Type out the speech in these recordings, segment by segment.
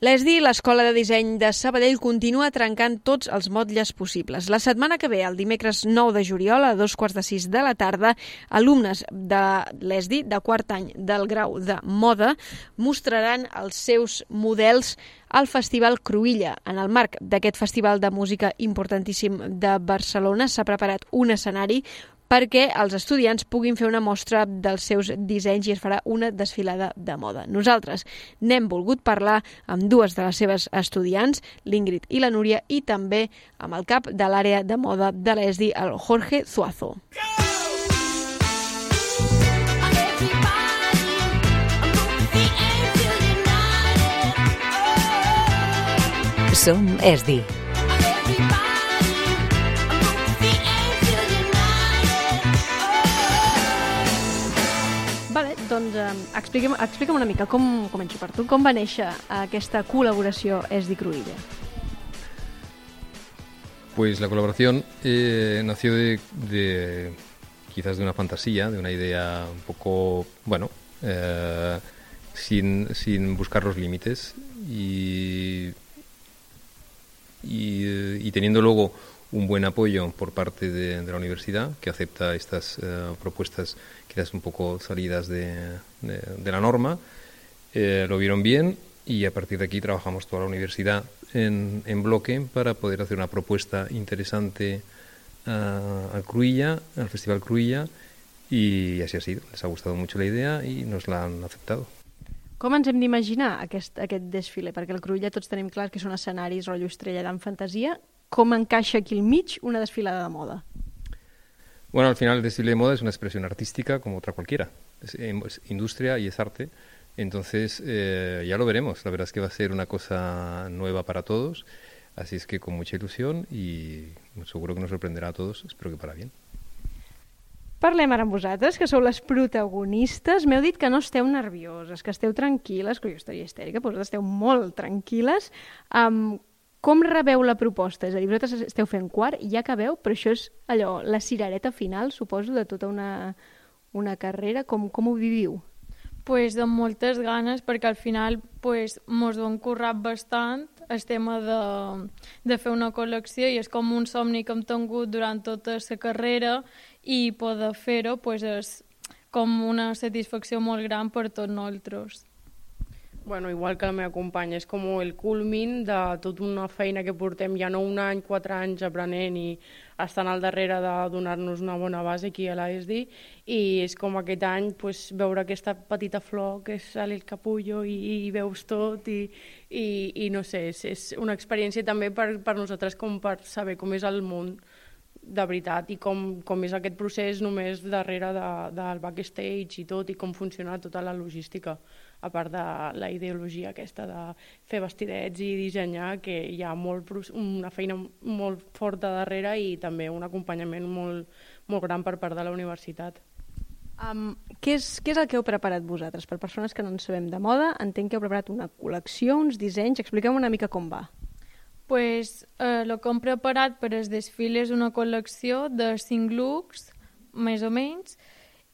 L'ESDI, l'Escola de Disseny de Sabadell, continua trencant tots els motlles possibles. La setmana que ve, el dimecres 9 de juliol, a 2:45 de la tarda, alumnes de l'ESDI, de quart any del grau de moda, mostraran els seus models al Festival Cruïlla. En el marc d'aquest festival de música importantíssim de Barcelona s'ha preparat un escenari perquè els estudiants puguin fer una mostra dels seus dissenys i es farà una desfilada de moda. Nosaltres n'hem volgut parlar amb dues de les seves estudiants, l'Ingrid i la Núria, i també amb el cap de l'àrea de moda de l'ESDI, el Jorge Zuazo. Som ESDI. Vale, doncs explica'm una mica, començo per tu, com va néixer aquesta colaboració ESDI Cruïlla? Pues la colaboración nació quizás de una fantasía, de una idea un poco, sin buscar los límites y teniendo luego un buen apoyo por parte de la universidad, que acepta estas propuestas quizás un poco salidas de la norma. Lo vieron bien y a partir de aquí trabajamos toda la universidad en bloque para poder hacer una propuesta interesante al Cruïlla, al Festival Cruïlla, y así ha sido. Les ha gustado mucho la idea y nos la han aceptado. Com ens hem d'imaginar aquest desfile? Perquè el Cruïlla tots tenim clar que són escenaris rotllo Estrella d'en fantasia. Com encaixa aquí al mig una desfilada de moda? Bueno, al final el desfile de moda es una expresión artística como otra cualquiera. Es industria y es arte. Entonces ya lo veremos. La verdad es que va a ser una cosa nueva para todos. Así es que con mucha ilusión y seguro que nos sorprenderà a todos. Espero que para bien. Parlem ara amb vosaltres, que sou les protagonistes. M'heu dit que no esteu nervioses, que esteu tranquil·les, que jo estaria histèrica, però vosaltres esteu molt tranquil·les. Com rebeu la proposta? És a dir, vosaltres esteu fent quart, ja acabeu, però això és allò, la cirereta final, suposo, de tota una carrera. Com ho viviu? Pues amb moltes ganes, perquè al final mos ho hem currat bastant el tema de fer una col·lecció i és com un somni que hem tingut durant tota la carrera i poder fer-ho és com una satisfacció molt gran per tots nosaltres. Bueno, igual que la meva companya, és com el culmin de tota una feina que portem ja no un any, 4 anys aprenent i estant al darrere de donar-nos una bona base aquí a l'ESDI, i és com aquest any veure aquesta petita flor que sale el capullo i veus tot i no sé, és una experiència també per nosaltres com per saber com és el món de veritat i com és aquest procés només darrere del backstage i tot i com funciona tota la logística, a part de la ideologia aquesta de fer vestidets i dissenyar, que hi ha una feina molt forta darrere i també un acompanyament molt gran per part de la universitat. Què és el que heu preparat vosaltres? Per persones que no en sabem de moda, entenc que heu preparat una col·lecció, uns dissenys. Expliqueu una mica com va. El que hem preparat per el desfile és una col·lecció de 5 looks, més o menys,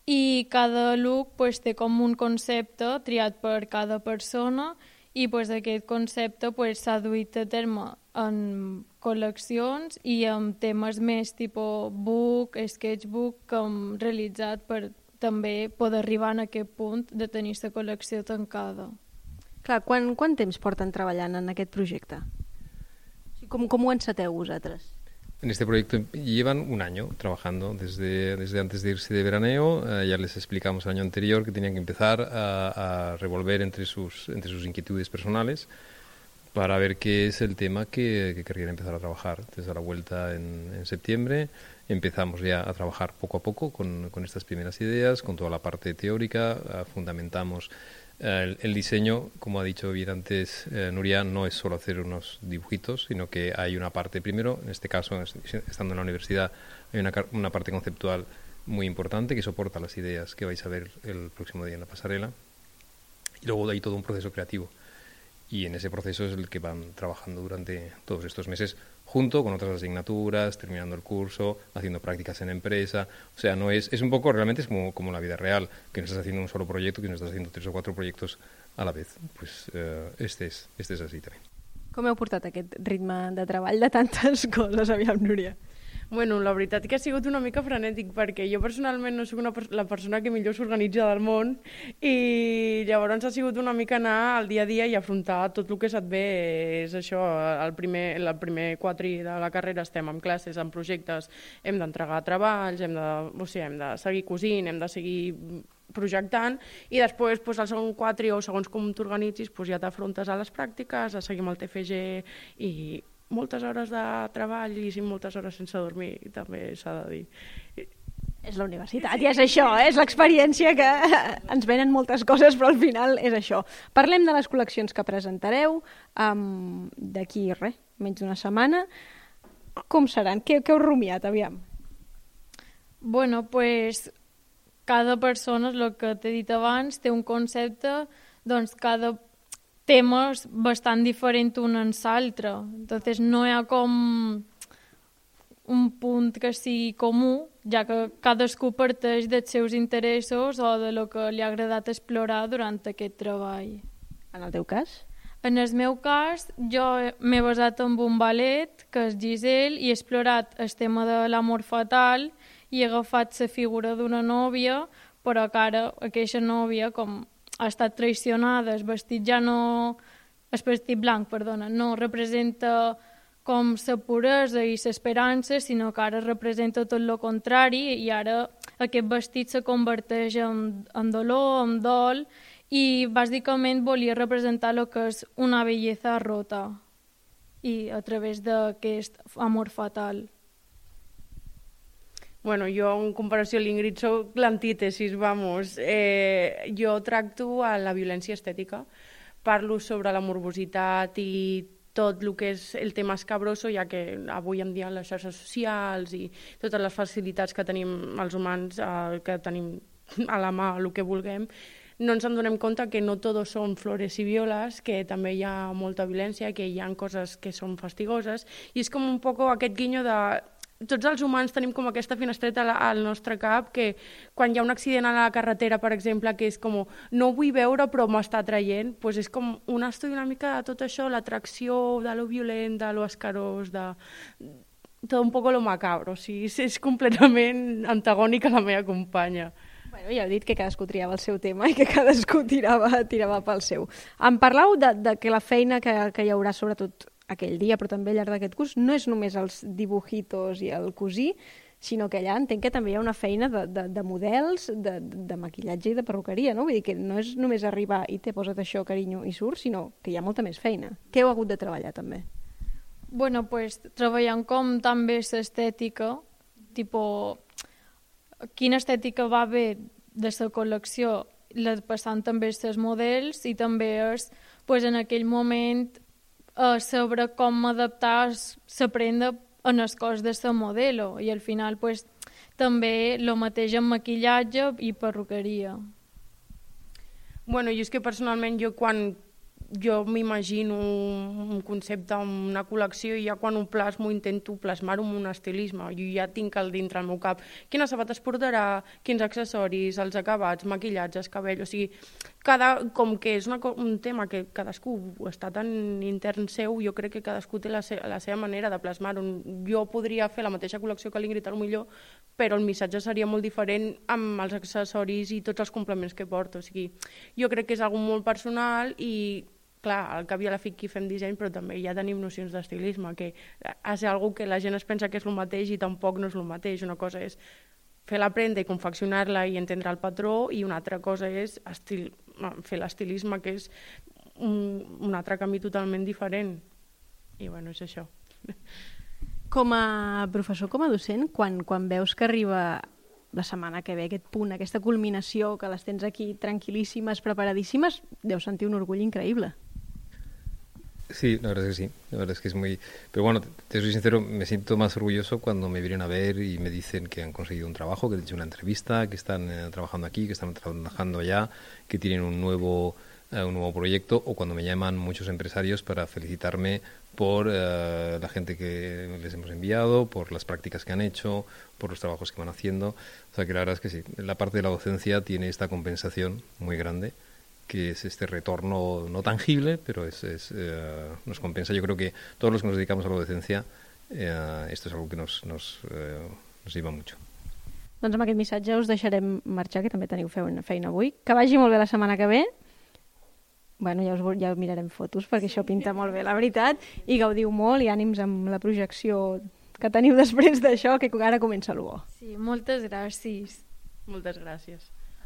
i cada look té com un concepte triat per cada persona i aquest concepte s'ha duit a terme en col·leccions i amb temes més tipus book, sketchbook, que hem realitzat per també poder arribar a aquest punt de tenir la col·lecció tancada. Clar, quant temps porten treballant en aquest projecte? Com ho enceteu vosaltres? En este proyecto llevan un año trabajando, desde antes de irse de veraneo. Ya les explicamos el año anterior que tenían que empezar a revolver entre sus inquietudes personales para ver qué es el tema que querían empezar a trabajar. Desde la vuelta en septiembre empezamos ya a trabajar poco a poco con estas primeras ideas, con toda la parte teórica, fundamentamos el diseño, como ha dicho bien antes Nuria, no es solo hacer unos dibujitos, sino que hay una parte primero, en este caso, estando en la universidad, hay una parte conceptual muy importante que soporta las ideas que vais a ver el próximo día en la pasarela, y luego hay todo un proceso creativo. Y en ese proceso es el que van trabajando durante todos estos meses, junto con otras asignaturas, terminando el curso, haciendo prácticas en empresa. O sea, no es un poco, realmente es como la vida real, que no estás haciendo un solo proyecto, que no estás haciendo 3 o 4 proyectos a la vez. Pues este es así también. Com heu portat aquest ritme de treball de tantes coses, aviam, Núria? Bueno, la veritat que ha sigut una mica frenètic perquè jo personalment no soc la persona que millor s'organitza del món i llavors ha sigut una mica anar al dia a dia i afrontar tot el que se't ve. És això, el primer quadri de la carrera estem en classes, en projectes, hem d'entregar treballs, hem de seguir cosint, hem de seguir projectant i després el segon quadri o segons com t'organitzis ja t'afrontes a les pràctiques, a seguir amb el TFG i moltes hores de treball i moltes hores sense dormir, també s'ha de dir. És la universitat i és això, és l'experiència que ens venen moltes coses, però al final és això. Parlem de les col·leccions que presentareu d'aquí menys d'una setmana. Com seran? Què heu rumiat, aviam? Bueno, pues cada persona, és el que t'he dit abans, té un concepte, doncs cada tema és bastant diferent un en l'altre. Entonces no hi ha com un punt que sigui comú, ja que cadascú parteix dels seus interessos o de lo que li ha agradat explorar durant aquest treball. En el teu cas? En el meu cas, jo m'he basat en un ballet, que és Giselle, i he explorat el tema de l'amor fatal i he agafat la figura d'una nòvia, però que ara aquesta nòvia, com ha estat traicionada, el vestit blanc, no representa com la puresa i l'esperança, sinó que ara representa tot el contrari i ara aquest vestit se converteix en dolor, en dol i bàsicament volia representar el que és una bellesa rota i a través d'aquest amor fatal. Bueno, jo en comparació a l'Ingrid soc l'antítesis, vamos. Jo tracto a la violència estètica, parlo sobre la morbositat i tot el que és el tema escabroso, ja que avui en dia les xarxes socials i totes les facilitats que tenim els humans, que tenim a la mà el que vulguem, no ens en donem compte que no tot són flores i violes, que també hi ha molta violència, que hi ha coses que són fastigoses, i és com un poc aquest guinyo de tots els humans tenim com aquesta finestreta al nostre cap que quan hi ha un accident a la carretera, per exemple, que és com no ho vull veure però m'està atraient, doncs és com un estudi una mica de tot això, l'atracció de lo violent, de lo escarós, de tot un poc lo macabro. O sigui, és completament antagònic a la meva companya. Bueno, ja heu dit que cadascú triava el seu tema i que cadascú tirava pel seu. Em parlau de que la feina que hi haurà sobretot aquell dia, però també al llarg d'aquest curs, no és només els dibujitos i el cosir, sinó que allà entenc que també hi ha una feina de models, de maquillatge i de perruqueria, no? Vull dir que no és només arribar i te posa't això, carinyo, i surt, sinó que hi ha molta més feina. Què heu hagut de treballar, també? Bueno, pues treballant com també l'estètica, tipo, quina estètica va bé de la col·lecció, passant també els models i també és, pues, en aquell moment saber com adaptar la prenda en el cos de la modelo i al final pues, també el mateix en maquillatge i perruqueria. Bueno, jo és que personalment quan jo m'imagino un concepte, una col·lecció, i ja quan ho plasmo intento plasmar-ho en un estilisme. Jo ja tinc dintre el meu cap quines sabates portarà, quins accessoris, els acabats, maquillatges, cabell, o sigui, com que és un tema que cadascú està tan intern seu, jo crec que cadascú té la seva manera de plasmar-ho. Jo podria fer la mateixa col·lecció que l'Ingrid, potser, però el missatge seria molt diferent amb els accessoris i tots els complements que porto. O sigui, jo crec que és algo molt personal i clar, al cap i a la fi aquí fem disseny, però també ja tenim nocions d'estilisme, que és una que la gent es pensa que és el mateix i tampoc no és el mateix. Una cosa és fer la prenda i confeccionar-la i entendre el patró, i una altra cosa és fer l'estilisme, que és un altre camí totalment diferent. I bueno, és això. Com a professor, com a docent, quan veus que arriba la setmana que ve aquest punt, aquesta culminació, que les tens aquí tranquil·líssimes, preparadíssimes, deus sentir un orgull increïble. Sí, la verdad es que sí, la verdad es que es muy... Pero bueno, te soy sincero, me siento más orgulloso cuando me vienen a ver y me dicen que han conseguido un trabajo, que han hecho una entrevista, que están trabajando aquí, que están trabajando allá, que tienen un nuevo proyecto, o cuando me llaman muchos empresarios para felicitarme por la gente que les hemos enviado, por las prácticas que han hecho, por los trabajos que van haciendo. O sea que la verdad es que sí, la parte de la docencia tiene esta compensación muy grande que es este retorno no tangible, pero nos compensa. Yo creo que todos los que nos dedicamos a la docencia, esto es algo que nos lleva mucho. Doncs amb aquest missatge us deixarem marxar, que també teniu feina avui. Que vagi molt bé la setmana que ve. Bueno, ja mirarem fotos, perquè això pinta molt bé, la veritat, i gaudiu molt i ànims amb la projecció que teniu després d'això, que ara comença el bo. Sí, moltes gràcies. Moltes gràcies.